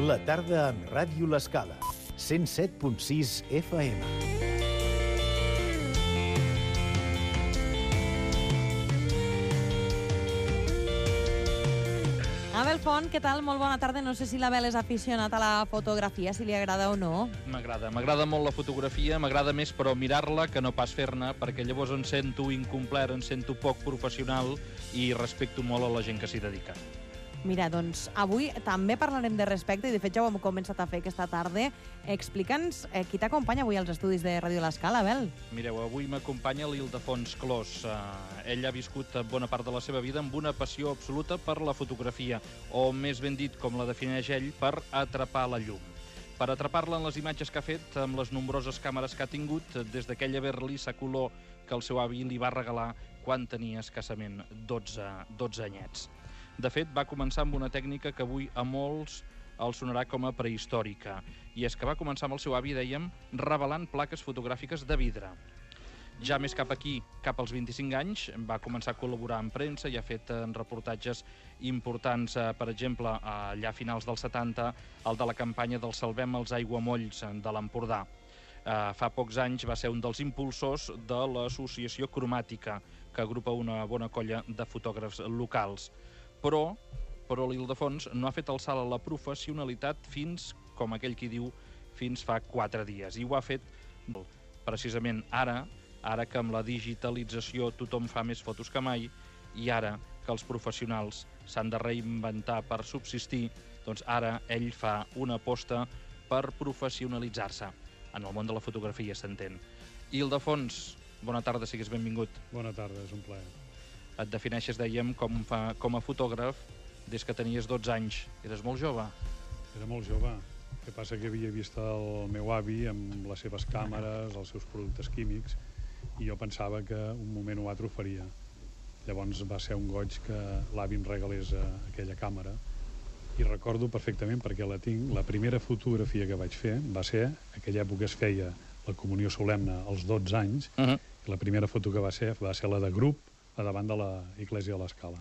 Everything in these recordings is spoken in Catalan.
La tarda amb Ràdio L'Escala, 107.6 FM. Abel Font, què tal? Molt bona tarda. No sé si l'Abel és aficionat a la fotografia, si li agrada o no. M'agrada molt la fotografia, m'agrada més però mirar-la que no pas fer-ne, perquè llavors em sento incomplet, em sento poc professional i respecto molt a la gent que s'hi dedica. Mira, doncs avui també parlarem de respecte i de fet ja ho hem començat a fer aquesta tarda. Explica'ns qui t'acompanya avui als estudis de Ràdio L'Escala, Abel. Mireu, avui m'acompanya l'Ildefons Clos. Ell ha viscut bona part de la seva vida amb una passió absoluta per la fotografia, o més ben dit, com la defineix ell, per atrapar la llum. Per atrapar-la en les imatges que ha fet, amb les nombroses càmeres que ha tingut, des d'aquella Berlis a color que el seu avi li va regalar quan tenia escassament 12 anyets. De fet, va començar amb una tècnica que avui a molts els sonarà com a prehistòrica. I és que va començar amb el seu avi, dèiem, revelant plaques fotogràfiques de vidre. Ja més cap aquí, cap als 25 anys, va començar a col·laborar en premsa i ha fet reportatges importants, per exemple, allà a finals dels 70, el de la campanya del Salvem els aiguamolls de l'Empordà. Fa pocs anys va ser un dels impulsors de l'associació Cromàtica, que agrupa una bona colla de fotògrafs locals. Però l'Ildefons no ha fet el salt a la professionalitat fins, com aquell qui diu, fins fa 4 dies. I ho ha fet precisament ara que amb la digitalització tothom fa més fotos que mai, i ara que els professionals s'han de reinventar per subsistir, doncs ara ell fa una aposta per professionalitzar-se. En el món de la fotografia, s'entén. Ildefons, bona tarda, sigues benvingut. Bona tarda, és un plaer. Et defineixes, dèiem, com a fotògraf des que tenies 12 anys. Eres molt jove. Era molt jove. El que passa que havia vist el meu avi amb les seves càmeres, els seus productes químics, i jo pensava que un moment o altre ho faria. Llavors va ser un goig que l'avi em regalés aquella càmera, i recordo perfectament, perquè la tinc, la primera fotografia que vaig fer va ser, en aquella època es feia la comunió solemne als 12 anys, i la primera foto que va ser la de grup, a davant de l'Església de l'Escala.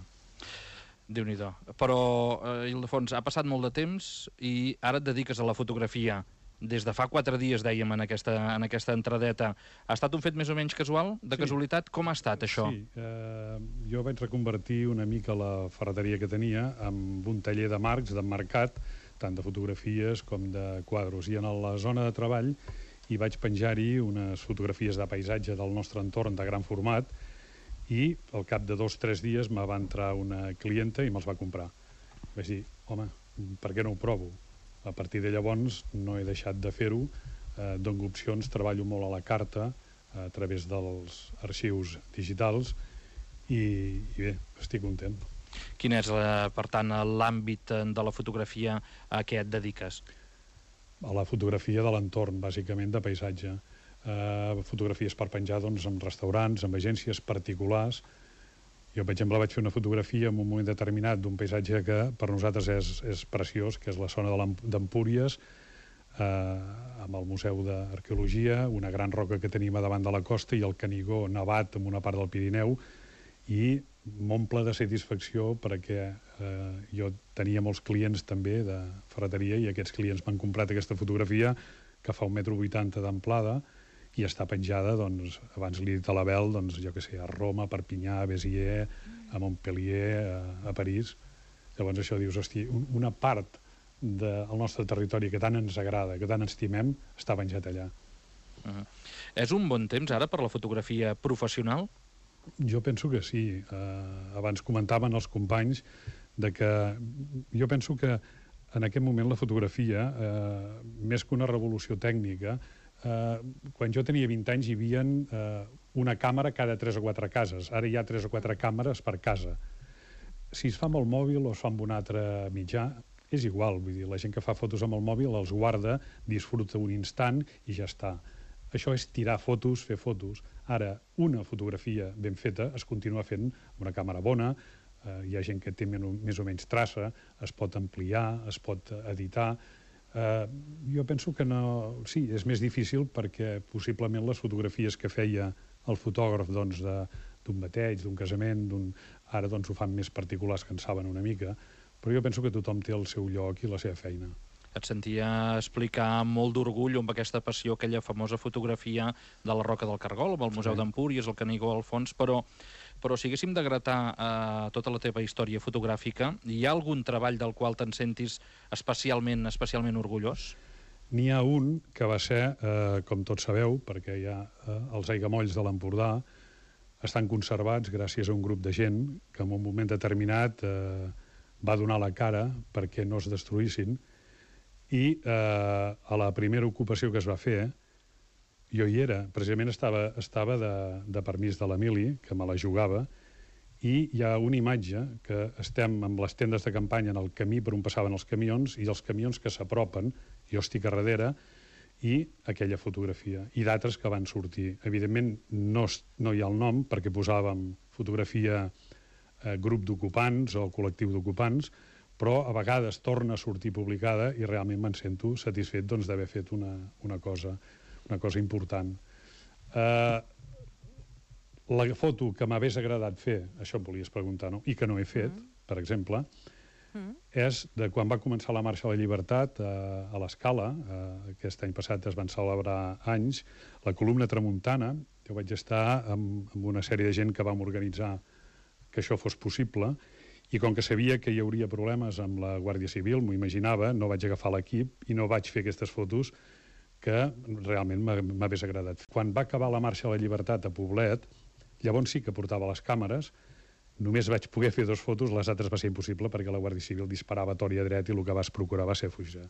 Déu-n'hi-do. Però, Ildefons, ha passat molt de temps i ara et dediques a la fotografia. Des de fa 4 dies, dèiem, en aquesta entradeta. Ha estat un fet més o menys casual? De casualitat? Com ha estat, això? Sí, jo vaig reconvertir una mica la ferreteria que tenia amb un taller de marcs, d'emmarcat, tant de fotografies com de quadros. I en la zona de treball hi vaig penjar-hi unes fotografies de paisatge del nostre entorn de gran format, i al cap de 2 o 3 dies me va entrar una clienta i me'ls va comprar. Vaig dir, home, per què no ho provo? A partir de llavors no he deixat de fer-ho, dono opcions, treballo molt a la carta a través dels arxius digitals i bé, estic content. Quin és, per tant, l'àmbit de la fotografia a què et dediques? A la fotografia de l'entorn, bàsicament de paisatge. Fotografies per penjar en restaurants, en agències particulars. Jo, per exemple, vaig fer una fotografia en un moment determinat d'un paisatge que per nosaltres és preciós, que és la zona d'Empúries, amb el Museu d'Arqueologia, una gran roca que tenim a davant de la costa i el Canigó nevat en una part del Pirineu, i m'omple de satisfacció perquè jo tenia molts clients també de ferreteria i aquests clients m'han comprat aquesta fotografia que fa 1,80 m d'amplada i està penjada, doncs, abans li he dit a l'Abel, doncs, jo què sé, a Roma, a Perpinyà, a Béziers, a Montpellier, a París. Llavors això dius, hosti, una part del nostre territori que tant ens agrada, que tant ens estimem, està penjat allà. És un bon temps ara per la fotografia professional? Jo penso que sí. Abans comentaven els companys de que jo penso que en aquest moment la fotografia, més que una revolució tècnica, quan jo tenia 20 anys hi havia una càmera cada 3 o 4 cases. Ara hi ha 3 o 4 càmeres per casa. Si es fa amb el mòbil o es fa amb un altre mitjà, és igual. Vull dir, la gent que fa fotos amb el mòbil els guarda, disfruta un instant i ja està. Això és tirar fotos, fer fotos. Ara, una fotografia ben feta es continua fent amb una càmera bona, hi ha gent que té més o menys traça, es pot ampliar, es pot editar. Jo penso que no... Sí, és més difícil perquè possiblement les fotografies que feia el fotògraf d'un bateig, d'un casament, ara ho fan més particulars que en saben una mica, però jo penso que tothom té el seu lloc i la seva feina. et sentia explicar amb molt d'orgull amb aquesta passió, aquella famosa fotografia de la Roca del Cargol, amb el Museu d'Empúries, el Canigó al fons, però si haguéssim de gratar tota la teva història fotogràfica, hi ha algun treball del qual te'n sentis especialment orgullós? N'hi ha un que va ser, com tots sabeu, perquè hi ha els aiguamolls de l'Empordà, estan conservats gràcies a un grup de gent que en un moment determinat va donar la cara perquè no es destruïssin, i a la primera ocupació que es va fer, jo hi era, precisament estava de permís de l'Emili, que me la jugava, i hi ha una imatge que estem amb les tendes de campanya en el camí per on passaven els camions, i els camions que s'apropen, jo estic a darrere, i aquella fotografia, i d'altres que van sortir. Evidentment, no hi ha el nom, perquè posàvem fotografia grup d'ocupants o col·lectiu d'ocupants, però a vegades torna a sortir publicada i realment me'n sento satisfet d'haver fet una cosa important. La foto que m'hagués agradat fer, això em volies preguntar, no? I que no he fet, per exemple, és de quan va començar la Marxa a la Llibertat a l'Escala. Aquest any passat es van celebrar anys. La columna Tramuntana, jo vaig estar amb una sèrie de gent que vam organitzar que això fos possible, i com que sabia que hi hauria problemes amb la Guàrdia Civil, m'ho imaginava, no vaig agafar l'equip i no vaig fer aquestes fotos que realment m'hagués agradat. Quan va acabar la Marxa a la Llibertat a Poblet, llavors sí que portava les càmeres, només vaig poder fer 2 fotos, les altres va ser impossible perquè la Guàrdia Civil disparava a tort i a dret i el que vas procurar va ser fugir.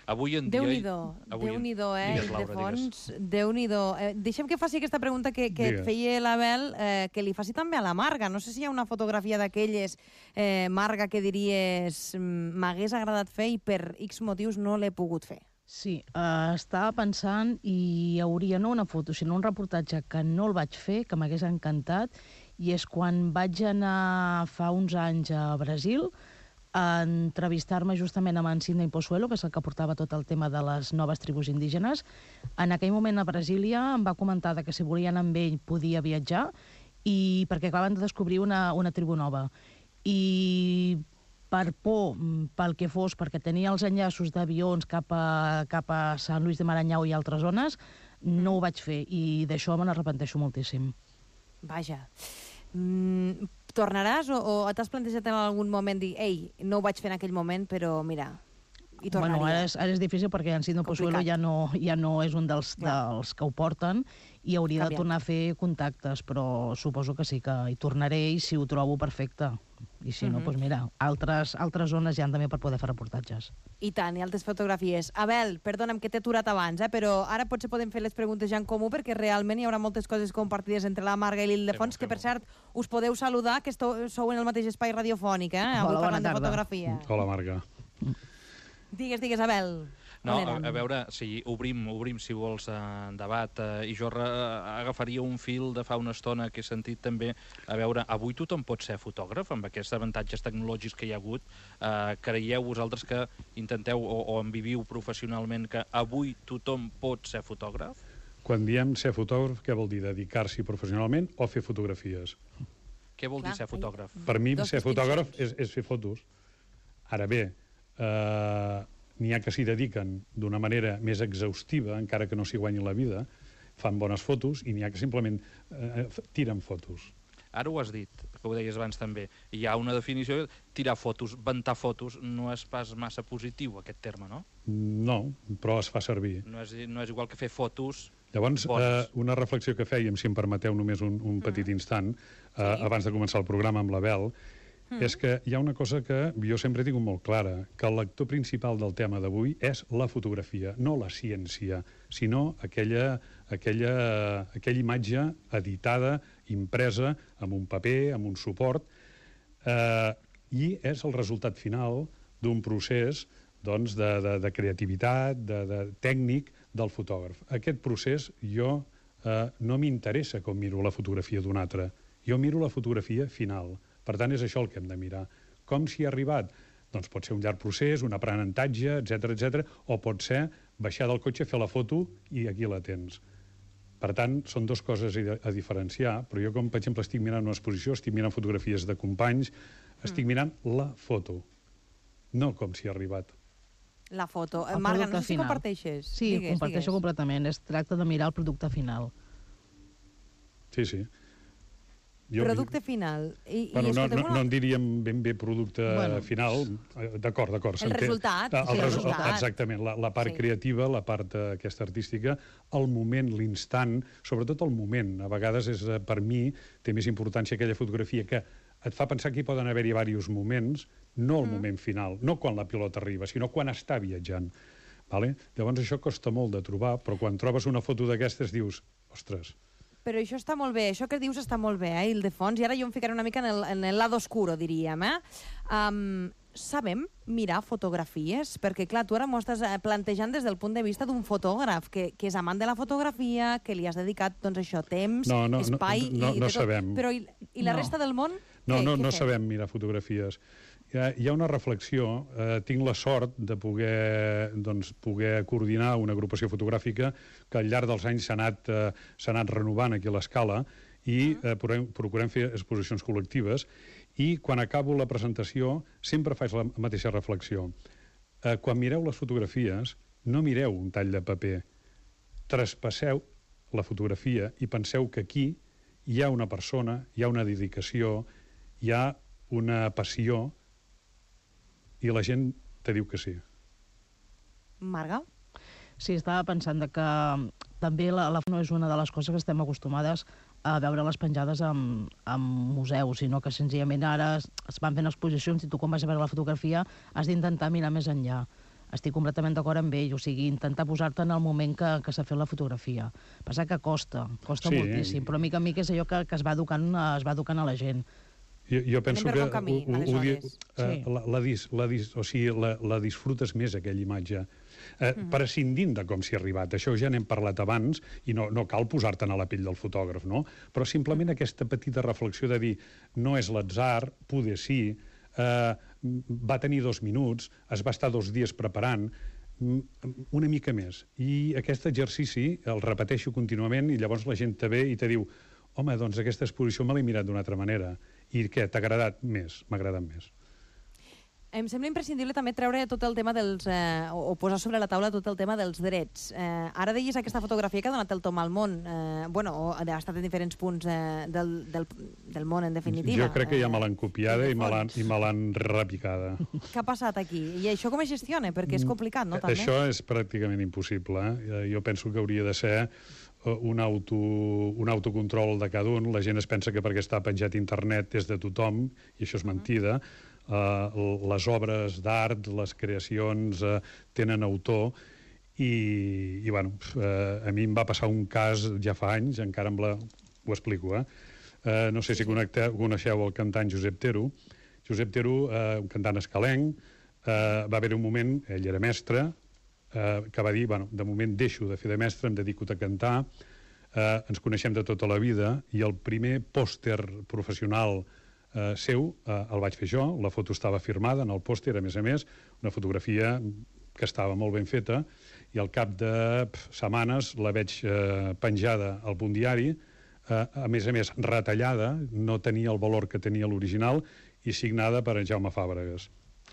Avui en dia... Déu-n'hi-do, Ildefons. Déu-n'hi-do. Deixa'm que faci aquesta pregunta que et feia l'Abel, que li faci també a la Marga. No sé si hi ha una fotografia d'aquelles, Marga, que diries m'hagués agradat fer i per X motius no l'he pogut fer. Sí, estava pensant i hi hauria no una foto, sinó un reportatge que no el vaig fer, que m'hagués encantat, i és quan vaig anar fa uns anys a Brasil a entrevistar-me justament amb en Sidney Pozuelo, que és el que portava tot el tema de les noves tribus indígenes. En aquell moment a Brasília em va comentar que si volia anar amb ell podia viatjar, i perquè acabaven de descobrir una tribu nova. I per por, pel que fos, perquè tenia els enllaços d'avions cap a Sant Lluís de Maranyau i altres zones, no ho vaig fer, i d'això me n'arrepenteixo moltíssim. Vaja. Tornaràs o t'has plantejat en algun moment dir ei, no ho vaig fer en aquell moment, però mira, hi tornaria? Bueno, ara és difícil perquè en Sidney Pozuelo ja no és un dels que ho porten i hauria de tornar a fer contactes, però suposo que sí que hi tornaré i si ho trobo perfecte. I si no, doncs mira, altres zones hi han també per poder fer reportatges. I tant, i altres fotografies. Abel, perdona'm que t'he aturat abans, però ara potser podem fer les preguntes ja en comú perquè realment hi haurà moltes coses compartides entre la Marga i l'Ildefons, que per cert us podeu saludar, que sou en el mateix espai radiofònic, avui parlant de fotografia. Hola, Marga. Digues, Abel. No, a veure, si obrim, si vols, debat, i jo agafaria un fil de fa una estona que he sentit també, a veure, avui tothom pot ser fotògraf, amb aquests avantatges tecnològics que hi ha hagut. Creieu vosaltres que intenteu o en viviu professionalment que avui tothom pot ser fotògraf? Quan diem ser fotògraf, què vol dir? Dedicar-s'hi professionalment o fer fotografies? Què vol dir ser fotògraf? Per mi, ser fotògraf és fer fotos. Ara bé, n'hi ha que s'hi dediquen d'una manera més exhaustiva, encara que no s'hi guanyin la vida, fan bones fotos, i n'hi ha que simplement tiren fotos. Ara ho has dit, que ho deies abans també. Hi ha una definició, tirar fotos, ventar fotos, no és pas massa positiu, aquest terme, no? No, però es fa servir. No és igual que fer fotos... Llavors, una reflexió que fèiem, si em permeteu només un petit instant, abans de començar el programa amb l'Abel, és que hi ha una cosa que jo sempre he tingut molt clara, que el lector principal del tema d'avui és la fotografia, no la ciència, sinó aquella imatge editada, impresa, amb un paper, amb un suport, i és el resultat final d'un procés de creativitat, de tècnic del fotògraf. Aquest procés jo no m'interessa com miro la fotografia d'un altre, jo miro la fotografia final. Per tant, és això el que hem de mirar. Com s'hi ha arribat? Doncs pot ser un llarg procés, un aprenentatge, etc, o pot ser baixar del cotxe, fer la foto i aquí la tens. Per tant, són dues coses a diferenciar, però jo, com per exemple estic mirant una exposició, estic mirant fotografies de companys, estic mirant la foto, no com s'hi ha arribat. La foto. Marga, no sé si comparteixes. Sí, comparteixo completament. Es tracta de mirar el producte final. Sí. Producte final. No en diríem ben bé producte final. D'acord. El resultat. Exactament. La part creativa, la part aquesta artística, el moment, l'instant, sobretot el moment. A vegades, per mi, té més importància aquella fotografia que et fa pensar que hi poden haver-hi diversos moments, no el moment final, no quan la pilota arriba, sinó quan està viatjant. Llavors això costa molt de trobar, però quan trobes una foto d'aquestes dius, ostres... Però això està molt bé, això que dius està molt bé, Ildefons, i ara jo em ficaré una mica en el lado oscuro, diríem. Sabem mirar fotografies? Perquè, clar, tu ara m'ho estàs plantejant des del punt de vista d'un fotògraf, que és amant de la fotografia, que li has dedicat, doncs això, temps, espai... No sabem. Però i la resta del món? No sabem mirar fotografies. Hi ha una reflexió. Tinc la sort de poder coordinar una agrupació fotogràfica que al llarg dels anys s'ha anat renovant aquí a l'Escala i procurem fer exposicions col·lectives i quan acabo la presentació sempre faig la mateixa reflexió. Quan mireu les fotografies, no mireu un tall de paper. Traspasseu la fotografia i penseu que aquí hi ha una persona, hi ha una dedicació, hi ha una passió i la gent te diu que sí. Marga? Sí, estava pensant que també la no és una de les coses que estem acostumades a veure les penjades en museus, sinó que senzillament ara es van fent exposicions i tu quan vas a veure la fotografia has d'intentar mirar més enllà. Estic completament d'acord amb ell, o sigui, intentar posar-te en el moment que s'ha fet la fotografia. Passa que costa moltíssim, però mica en mica és allò que es va educant a la gent. Jo penso que la disfrutes més, aquella imatge, prescindint de com s'hi ha arribat. Això ja n'hem parlat abans i no cal posar-te'n a la pell del fotògraf, no? Però simplement aquesta petita reflexió de dir no és l'atzar, poder sí, va tenir 2 minuts, es va estar 2 dies preparant, una mica més. I aquest exercici el repeteixo contínuament i llavors la gent te ve i te diu home, doncs aquesta exposició me l'he mirat d'una altra manera. I què, t'ha agradat més? M'ha agradat més. Em sembla imprescindible també treure tot el tema o posar sobre la taula tot el tema dels drets. Ara deies aquesta fotografia que ha donat el tom al món, ha estat en diferents punts del món, en definitiva. Jo crec que ja me l'han copiada i me l'han repicada. Què ha passat aquí? I això com es gestiona? Perquè és complicat, no? També? Això és pràcticament impossible. Jo penso que hauria de ser un autocontrol de cada un. La gent es pensa que perquè està penjat a internet és de tothom, i això és mentida. Les obres d'art, les creacions tenen autor i bueno, a mi em va passar un cas ja fa anys, encara ho explico, no sé si coneixeu el cantant Josep Tero. Josep Tero, un cantant escalenc, va haver un moment, ell era mestre, que va dir, bueno, de moment deixo de fer de mestre, em dedico a cantar, ens coneixem de tota la vida i el primer pòster professional seu el vaig fer jo, la foto estava firmada en el pòster, a més, una fotografia que estava molt ben feta, i al cap de setmanes la veig penjada al Punt Diari, a més, retallada, no tenia el valor que tenia l'original, i signada per en Jaume Fàbregas,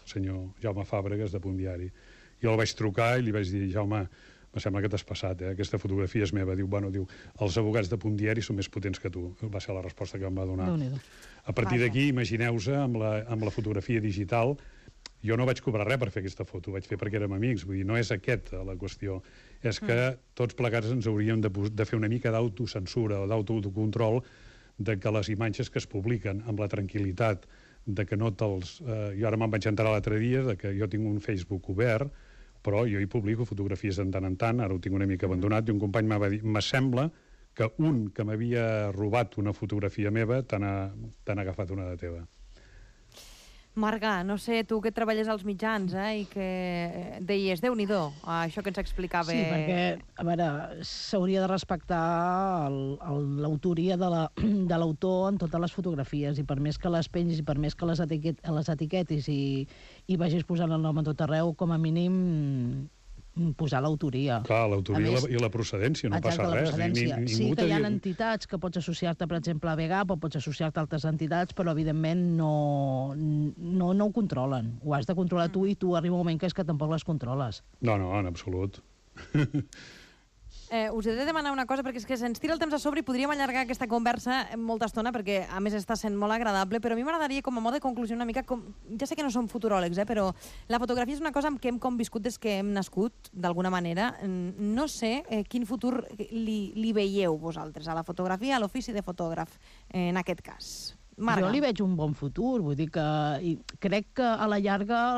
senyor Jaume Fàbregas de Punt Diari. Jo el vaig trucar i li vaig dir, Jaume, em sembla que t'has passat, aquesta fotografia és meva. Diu, els advocats de Punt Diari són més potents que tu. Va ser la resposta que em va donar. A partir d'aquí, imagineu-se, amb la fotografia digital, jo no vaig cobrar res per fer aquesta foto, vaig fer perquè érem amics, vull dir, no és aquesta la qüestió. És que tots plegats ens hauríem de fer una mica d'autocensura o d'autocontrol de que les imatges que es publiquen amb la tranquil·litat de que no te'ls... Jo ara me'n vaig enterar l'altre dia de que jo tinc un Facebook obert, però jo hi publico fotografies de tant en tant, ara ho tinc una mica abandonat, i un company m'ha dit, m'assembla que un que m'havia robat una fotografia meva t'han agafat una de teva. Marga, no sé, tu que treballes als mitjans i que deies, Déu-n'hi-do, això que ens explicava... Sí, perquè, a veure, s'hauria de respectar l'autoria de l'autor en totes les fotografies, i per més que les pengis i per més que les etiquetis i vagis posant el nom a tot arreu, com a mínim posar l'autoria. Clar, l'autoria i la procedència, no passa res. Sí que hi ha entitats que pots associar-te, per exemple, a VEGAP, o pots associar-te a altres entitats, però evidentment no no ho controlen. Ho has de controlar tu i tu arriba un moment que és que tampoc les controles. No, en absolut. Us he de demanar una cosa, perquè és que se'ns tira el temps a sobre i podríem allargar aquesta conversa molta estona, perquè a més està sent molt agradable, però a mi m'agradaria, com a mode de conclusió, una mica... Ja sé que no som futuròlegs, però la fotografia és una cosa amb què hem conviscut des que hem nascut, d'alguna manera. No sé quin futur li veieu vosaltres, a la fotografia, a l'ofici de fotògraf, en aquest cas. Marga. Jo li veig un bon futur, vull dir que crec que a la llarga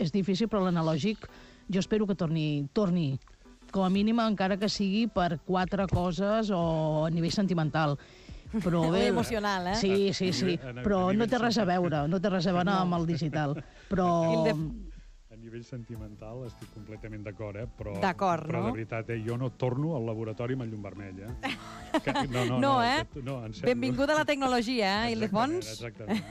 és difícil, però l'analògic jo espero que torni com a mínim, encara que sigui per 4 coses o a nivell sentimental. Però bé, emocional, eh? Sí, però no té res a veure, amb el digital. Però... A nivell sentimental estic completament d'acord, però no? de veritat, jo no torno al laboratori amb el llum vermell, No, benvinguda a la tecnologia, Ildefons. Exactament.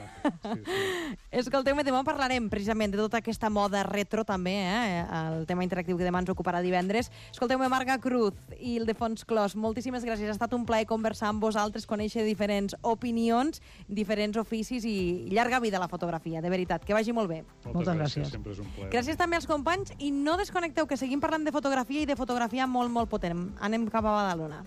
Escolteu-me, demà parlarem precisament de tota aquesta moda retro, també, el tema interactiu que demà ens ocuparà divendres. Escolteu-me, Marga Cruz i Ildefons Clos, moltíssimes gràcies. Ha estat un plaer conversar amb vosaltres, conèixer diferents opinions, diferents oficis i llarga vida a la fotografia, de veritat. Que vagi molt bé. Moltes gràcies. Sempre és un plaer. Gràcies també als companys i no desconnecteu, que seguim parlant de fotografia i de fotografia molt, molt potent. Anem cap a Badalona.